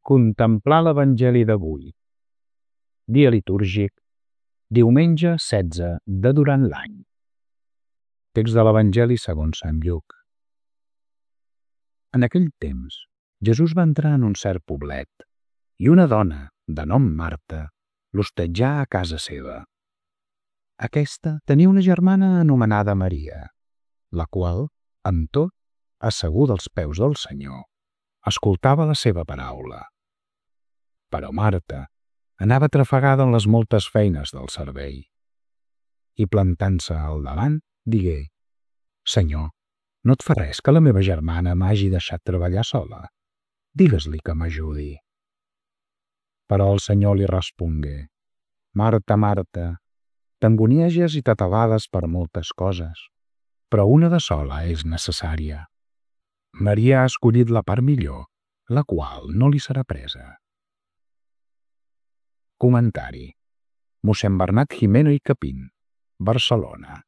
Contemplar l'Evangeli d'avui. Dia litúrgic, diumenge 16 de durant l'any. Text de l'Evangeli segons Sant Lluc. En aquell temps, Jesús va entrar en un cert poblet i una dona, de nom Marta, l'hostatjà a casa seva. Aquesta tenia una germana anomenada Maria, la qual, amb tot, asseguda als peus del Senyor, escoltava la seva paraula. Però Marta anava atrafegada en les moltes feines del servei i, plantant-se al davant, digué: «Senyor, no et fa res que la meva germana m'hagi deixat treballar sola? Digues-li que m'ajudi». Però el Senyor li respongué: «Marta, Marta, t'angonieges i t'atabades per moltes coses, però una de sola és necessària. Maria ha escollit la part millor, la qual no li serà presa». Comentari. Mossèn Bernat Gimeno i Capín, Barcelona.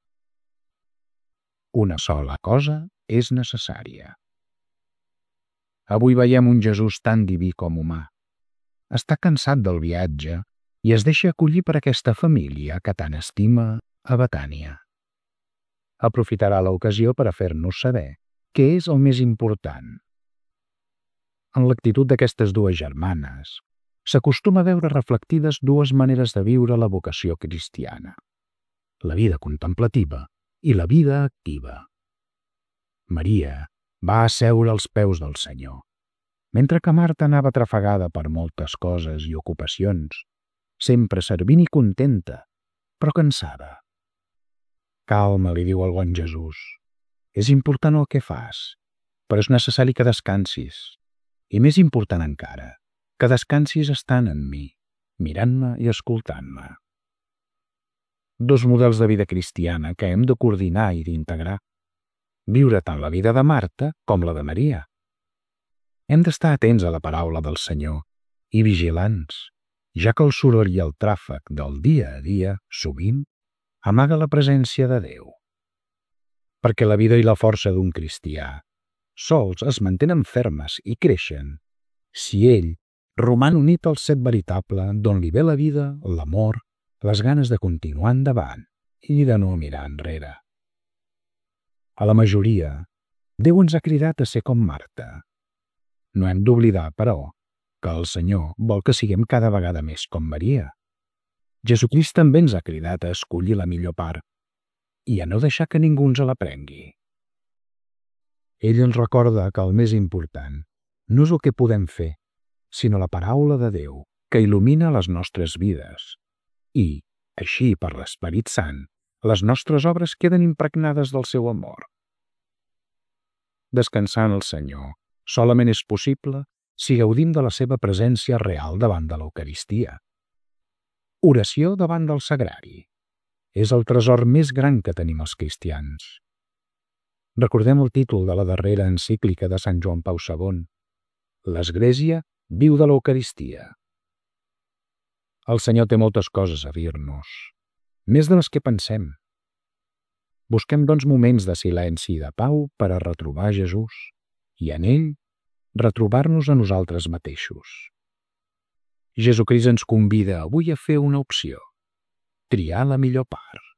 Una sola cosa és necessària. Avui veiem un Jesús tan diví com humà. Està cansat del viatge i es deixa acollir per aquesta família que tant estima a Betània. Aprofitarà l'ocasió per a fer-nos saber què és el més important. En l'actitud d'aquestes dues germanes s'acostuma a veure reflectides dues maneres de viure la vocació cristiana: la vida contemplativa i la vida activa. Maria va asseure als peus del Senyor, mentre que Marta anava atrafegada per moltes coses i ocupacions, sempre servint i contenta, però cansada. «Calma», li diu el bon Jesús. «És important el que fas, però és necessari que descansis. I més important encara, que descansis estant en mi, mirant-me i escoltant-me». Dos models de vida cristiana que hem de coordinar i d'integrar. Viure tant la vida de Marta com la de Maria. Hem d'estar atents a la paraula del Senyor i vigilants, ja que el soroll i el tràfec del dia a dia, sovint, amaga la presència de Déu. Perquè la vida i la força d'un cristià sols es mantenen fermes i creixen si ell roman unit al set veritable d'on li ve la vida, l'amor, les ganes de continuar endavant i de no mirar enrere. A la majoria, Déu ens ha cridat a ser com Marta. No hem d'oblidar, però, que el Senyor vol que siguem cada vegada més com Maria. Jesucrist també ens ha cridat a escollir la millor part i a no deixar que ningú ens la prengui. Ell ens recorda que el més important no és el que podem fer, sinó la paraula de Déu que il·lumina les nostres vides. I, així per l'Esperit Sant, les nostres obres queden impregnades del seu amor. Descansar en el Senyor solament és possible si gaudim de la seva presència real davant de l'Eucaristia. Oració davant del Sagrari és el tresor més gran que tenim els cristians. Recordem el títol de la darrera encíclica de Sant Joan Pau II: «L'Església viu de l'Eucaristia». El Senyor té moltes coses a dir-nos, més de les que pensem. Busquem, doncs, moments de silenci i de pau per a retrobar Jesús i en ell retrobar-nos a nosaltres mateixos. Jesucrist ens convida avui a fer una opció: triar la millor part.